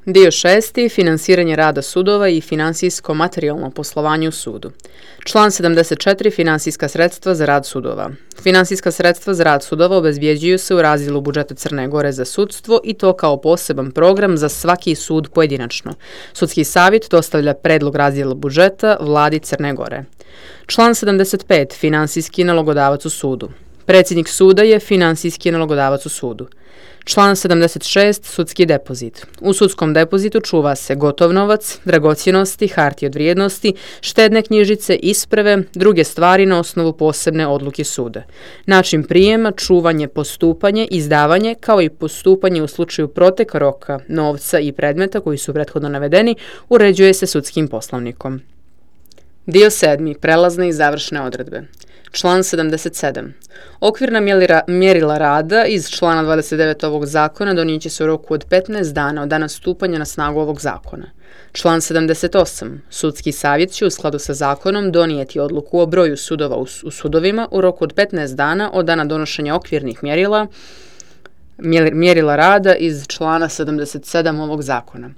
Dio 6. Finansiranje rada sudova i finansijsko-materijalno poslovanje u sudu. Član 74. Finansijska sredstva za rad sudova. Finansijska sredstva za rad sudova obezbjeđuju se u razdjelu budžeta Crne Gore za sudstvo i to kao poseban program za svaki sud pojedinačno. Sudski savjet dostavlja predlog razdjela budžeta vladi Crne Gore. Član 75. Finansijski nalogodavac u sudu. Predsjednik suda je finansijski nalogodavac u sudu. Član 76. Sudski depozit. U sudskom depozitu čuva se gotov novac, dragocjenosti, hartije od vrijednosti, štedne knjižice, isprave, druge stvari na osnovu posebne odluke suda. Način prijema, čuvanje, postupanje, izdavanje, kao i postupanje u slučaju proteka roka, novca i predmeta koji su prethodno navedeni, uređuje se sudskim poslovnikom. Dio 7. Prelazne i završne odredbe. Član 77. Okvirna mjerila rada iz člana 29 ovog zakona donijet će se u roku od 15 dana od dana stupanja na snagu ovog zakona. Član 78. Sudski savjet će u skladu sa zakonom donijeti odluku o broju sudova u sudovima u roku od 15 dana od dana donošenja okvirnih mjerila rada iz člana 77 ovog zakona.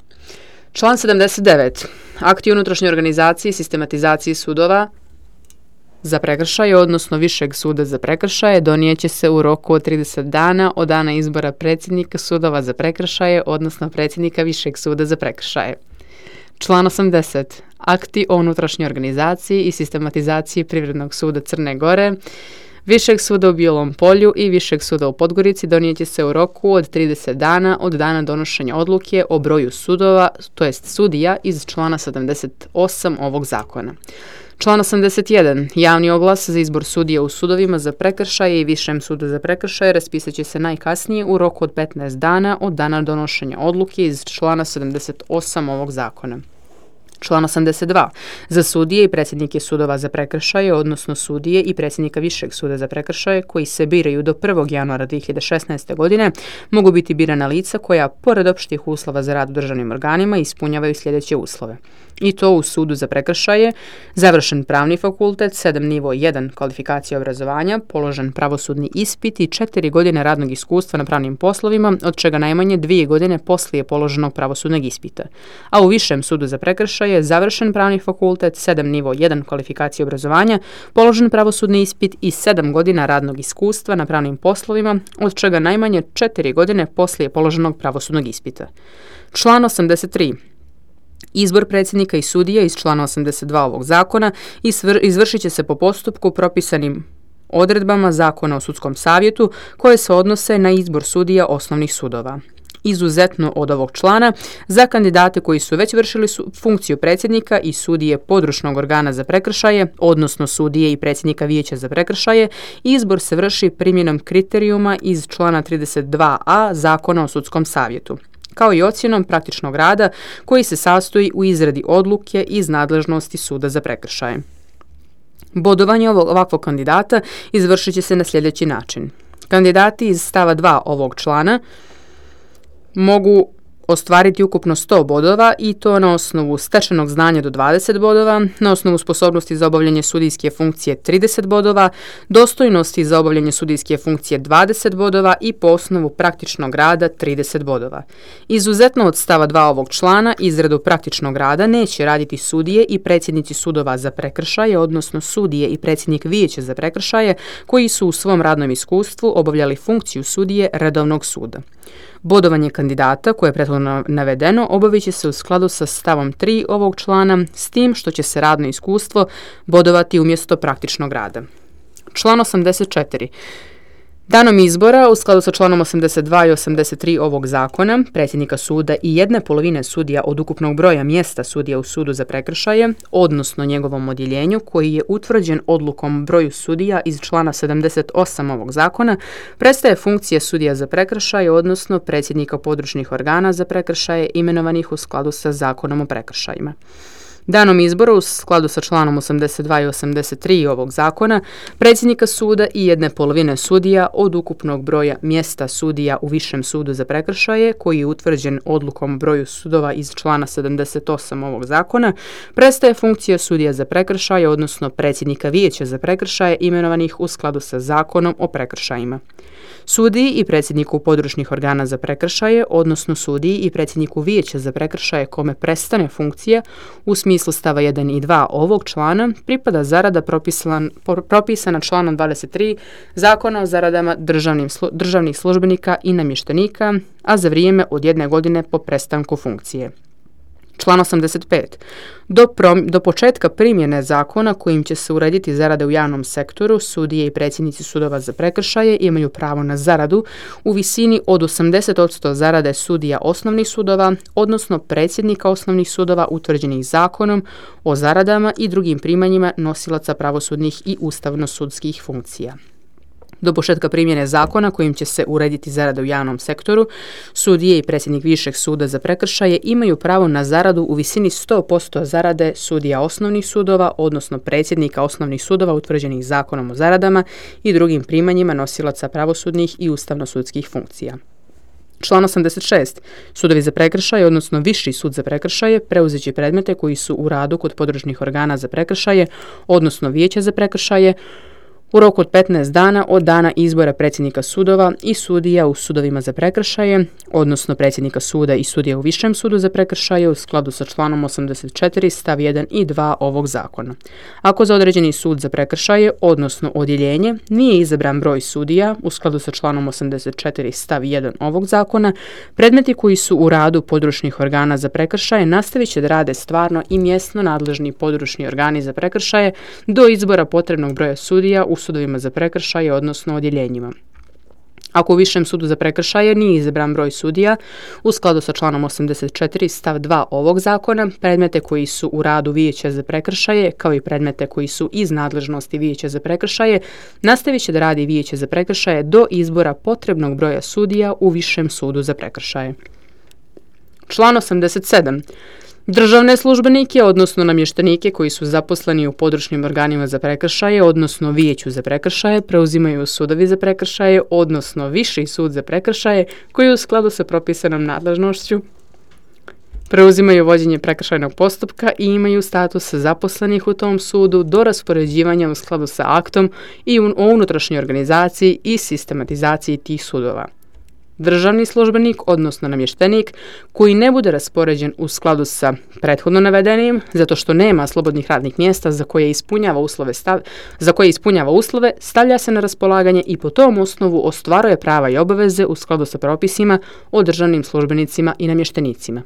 Član 79. Akti unutrašnje organizacije i sistematizacije sudova za prekršaje, odnosno Višeg suda za prekršaje, donijet će se u roku od 30 dana od dana izbora predsjednika sudova za prekršaje, odnosno predsjednika Višeg suda za prekršaje. Član 80. Akti o unutrašnjoj organizaciji i sistematizaciji Privrednog suda Crne Gore, Višeg suda u Bijelom Polju i Višeg suda u Podgorici donijet će se u roku od 30 dana od dana donošenja odluke o broju sudova, to jest sudija iz člana 78 ovog zakona. Član 81. Javni oglas za izbor sudija u sudovima za prekršaje i Višem sudu za prekršaje raspisat će se najkasnije u roku od 15 dana od dana donošenja odluke iz člana 78 ovog zakona. Član 82. Za sudije i predsjednike sudova za prekršaje, odnosno sudije i predsjednika Višeg suda za prekršaje koji se biraju do 1. januara 2016. godine, mogu biti birana lica koja, pored opštih uslova za rad u državnim organima, ispunjavaju sljedeće uslove. I to u sudu za prekršaje, završen pravni fakultet, 7 nivo 1 kvalifikacija obrazovanja, položen pravosudni ispit i 4 godine radnog iskustva na pravnim poslovima, od čega najmanje 2 godine poslije položenog pravosudnog ispita. A u Višem sudu za prekršaje, završen pravni fakultet, 7 nivo 1 kvalifikacija obrazovanja, položen pravosudni ispit i 7 godina radnog iskustva na pravnim poslovima, od čega najmanje 4 godine poslije položenog pravosudnog ispita. Član 83. Izbor predsjednika i sudija iz člana 82 ovog zakona izvršit će se po postupku propisanim odredbama Zakona o sudskom savjetu koje se odnose na izbor sudija osnovnih sudova. Izuzetno od ovog člana, za kandidate koji su već vršili funkciju predsjednika i sudije područnog organa za prekršaje, odnosno sudije i predsjednika vijeća za prekršaje, izbor se vrši primjenom kriterijuma iz člana 32a Zakona o sudskom savjetu, kao i ocjenom praktičnog rada koji se sastoji u izradi odluke iz nadležnosti suda za prekršaje. Bodovanje ovakvog kandidata izvršit će se na sljedeći način. Kandidati iz stava 2 ovog člana mogu ostvariti ukupno 100 bodova i to na osnovu stečenog znanja do 20 bodova, na osnovu sposobnosti za obavljanje sudijske funkcije 30 bodova, dostojnosti za obavljanje sudijske funkcije 20 bodova i po osnovu praktičnog rada 30 bodova. Izuzetno od stava 2 ovog člana, izradu praktičnog rada neće raditi sudije i predsjednici sudova za prekršaje, odnosno sudije i predsjednik vijeća za prekršaje koji su u svom radnom iskustvu obavljali funkciju sudije redovnog suda. Bodovanje kandidata, koje je prethodno navedeno, obavit će se u skladu sa stavom 3 ovog člana, s tim što će se radno iskustvo bodovati umjesto praktičnog rada. Član 84. Danom izbora, u skladu sa članom 82 i 83 ovog zakona, predsjednika suda i 1/2 sudija od ukupnog broja mjesta sudija u sudu za prekršaje, odnosno njegovom odjeljenju koji je utvrđen odlukom broju sudija iz člana 78 ovog zakona, prestaje funkcija sudija za prekršaje, odnosno predsjednika područnih organa za prekršaje imenovanih u skladu sa zakonom o prekršajima. Danom izbora u skladu sa članom 82 i 83 ovog zakona, predsjednika suda i 1/2 sudija od ukupnog broja mjesta sudija u Višem sudu za prekršaje, koji je utvrđen odlukom o broju sudova iz člana 78 ovog zakona, prestaje funkcija sudija za prekršaje, odnosno predsjednika vijeća za prekršaje imenovanih u skladu sa zakonom o prekršajima. Sudiji i predsjedniku područnih organa za prekršaje, odnosno sudiji i predsjedniku vijeća za prekršaje kome prestane funkcija u smislu stava 1 i 2 ovog člana, pripada zarada propisana članom 23 Zakona o zaradama državnih službenika i namještenika, a za vrijeme od 1 godine po prestanku funkcije. Član 85. Do početka primjene zakona kojim će se urediti zarade u javnom sektoru, sudije i predsjednici sudova za prekršaje imaju pravo na zaradu u visini od 80% zarade sudija osnovnih sudova, odnosno predsjednika osnovnih sudova utvrđenih zakonom o zaradama i drugim primanjima nosilaca pravosudnih i ustavno-sudskih funkcija. Do početka primjene zakona kojim će se urediti zarada u javnom sektoru, sudije i predsjednik Višeg suda za prekršaje imaju pravo na zaradu u visini 100% zarade sudija osnovnih sudova, odnosno predsjednika osnovnih sudova utvrđenih zakonom o zaradama i drugim primanjima nosilaca pravosudnih i ustavno-sudskih funkcija. Član 86. Sudovi za prekršaje, odnosno Viši sud za prekršaje, preuzet će predmete koji su u radu kod područnih organa za prekršaje, odnosno vijeća za prekršaje, u roku od 15 dana od dana izbora predsjednika sudova i sudija u sudovima za prekršaje, odnosno predsjednika suda i sudija u Višem sudu za prekršaje u skladu sa članom 84 stav 1 i 2 ovog zakona. Ako za određeni sud za prekršaje, odnosno odjeljenje, nije izabran broj sudija u skladu sa članom 84 stav 1 ovog zakona, predmeti koji su u radu područnih organa za prekršaje nastavit će da rade stvarno i mjesno nadležni područni organi za prekršaje do izbora potrebnog broja sudija u sudovima za prekršaje, odnosno odjeljenjima. Ako u Višem sudu za prekršaje nije izabran broj sudija, u skladu sa članom 84 stav 2 ovog zakona, predmete koji su u radu vijeća za prekršaje, kao i predmete koji su iz nadležnosti vijeća za prekršaje, nastavit će da radi vijeće za prekršaje do izbora potrebnog broja sudija u Višem sudu za prekršaje. Član 87. Državne službenike, odnosno namještenike koji su zaposleni u područnim organima za prekršaje, odnosno vijeću za prekršaje, preuzimaju sudovi za prekršaje, odnosno Viši sud za prekršaje, koji u skladu sa propisanom nadležnošću preuzimaju vođenje prekršajnog postupka i imaju status zaposlenih u tom sudu do raspoređivanja u skladu sa aktom i o unutrašnjoj organizaciji i sistematizaciji tih sudova. Državni službenik, odnosno namještenik, koji ne bude raspoređen u skladu sa prethodno navedenim, zato što nema slobodnih radnih mjesta za koje ispunjava uslove, stavlja se na raspolaganje i po tom osnovu ostvaruje prava i obaveze u skladu sa propisima o državnim službenicima i namještenicima.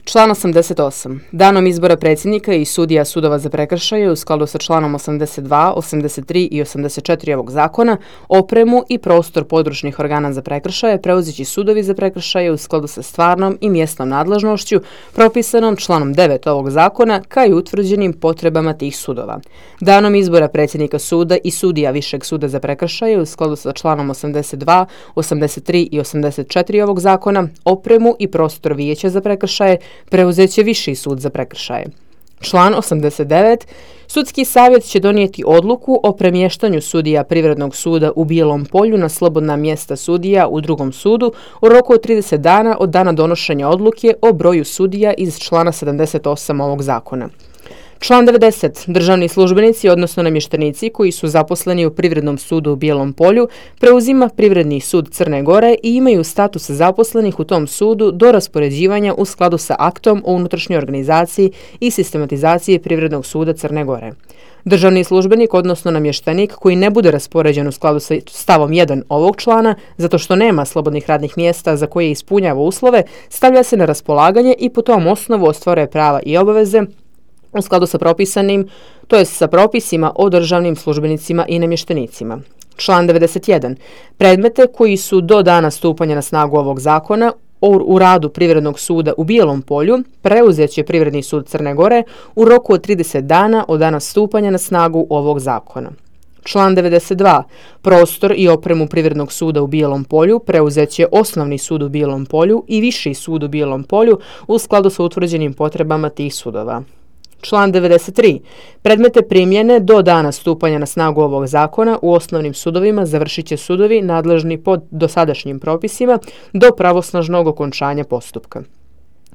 Član 88. Danom izbora predsjednika i sudija sudova za prekršaje u skladu sa članom 82, 83 i 84 ovog zakona, opremu i prostor područnih organa za prekršaje preuzet će sudovi za prekršaje u skladu sa stvarnom i mjesnom nadležnošću propisanom članom 9 ovog zakona, kao i utvrđenim potrebama tih sudova. Danom izbora predsjednika suda i sudija Višeg suda za prekršaje u skladu sa članom 82, 83 i 84 ovog zakona, opremu i prostor vijeća za prekršaje preuzet će Viši sud za prekršaje. Član 89. Sudski savjet će donijeti odluku o premještanju sudija Privrednog suda u Bijelom Polju na slobodna mjesta sudija u drugom sudu u roku od 30 dana od dana donošenja odluke o broju sudija iz člana 78 ovog zakona. Član 90. Državni službenici, odnosno namještenici koji su zaposleni u Privrednom sudu u Bijelom Polju, preuzima Privredni sud Crne Gore i imaju status zaposlenih u tom sudu do raspoređivanja u skladu sa aktom o unutrašnjoj organizaciji i sistematizaciji Privrednog suda Crne Gore. Državni službenik, odnosno namještenik koji ne bude raspoređen u skladu sa stavom 1 ovog člana, zato što nema slobodnih radnih mjesta za koje ispunjava uslove, stavlja se na raspolaganje i po tom osnovu ostvaruje prava i obaveze u skladu sa propisanim, to jest sa propisima o državnim službenicima i namještenicima. Član 91. Predmete koji su do dana stupanja na snagu ovog zakona u radu Privrednog suda u Bijelom Polju preuzet će Privredni sud Crne Gore u roku od 30 dana od dana stupanja na snagu ovog zakona. Član 92. Prostor i opremu Privrednog suda u Bijelom Polju preuzet će Osnovni sud u Bijelom Polju i Viši sud u Bijelom Polju u skladu sa utvrđenim potrebama tih sudova. Član 93. Predmete primjene do dana stupanja na snagu ovog zakona u osnovnim sudovima završit će sudovi nadležni po dosadašnjim propisima do pravosnažnog okončanja postupka.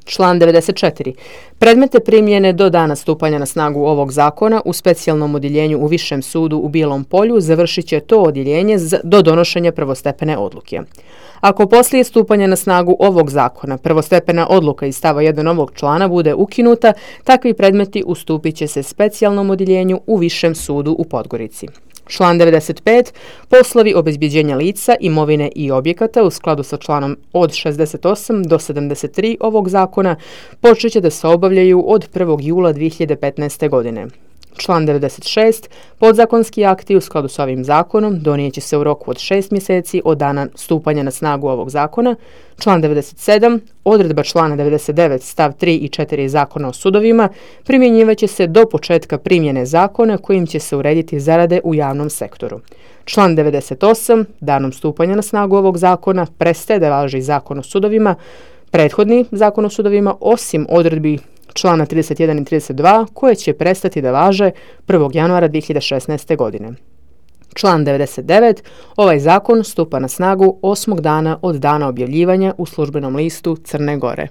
Član 94. Predmete primjene do dana stupanja na snagu ovog zakona u specijalnom odjeljenju u Višem sudu u Bijelom Polju završit će to odjeljenje do donošenja prvostepene odluke. Ako poslije stupanja na snagu ovog zakona prvostepena odluka iz stava 1 ovog člana bude ukinuta, takvi predmeti ustupit će se specijalnom odjeljenju u Višem sudu u Podgorici. Član 95. Poslovi obezbjeđenja lica, imovine i objekata u skladu sa članom od 68 do 73 ovog zakona počet će da se obavljaju od 1. jula 2015. godine. Član 96. Podzakonski akti u skladu s ovim zakonom donijet će se u roku od 6 mjeseci od dana stupanja na snagu ovog zakona. Član 97. Odredba člana 99 stav 3 i 4 Zakona o sudovima primjenjivaće se do početka primjene zakona kojim će se urediti zarade u javnom sektoru. Član 98. Danom stupanja na snagu ovog zakona prestaje da važi Zakon o sudovima, prethodni Zakon o sudovima, osim odredbi člana 31 i 32 koje će prestati da važe 1. januara 2016. godine. Član 99. Ovaj zakon stupa na snagu 8. dana od dana objavljivanja u službenom listu Crne Gore.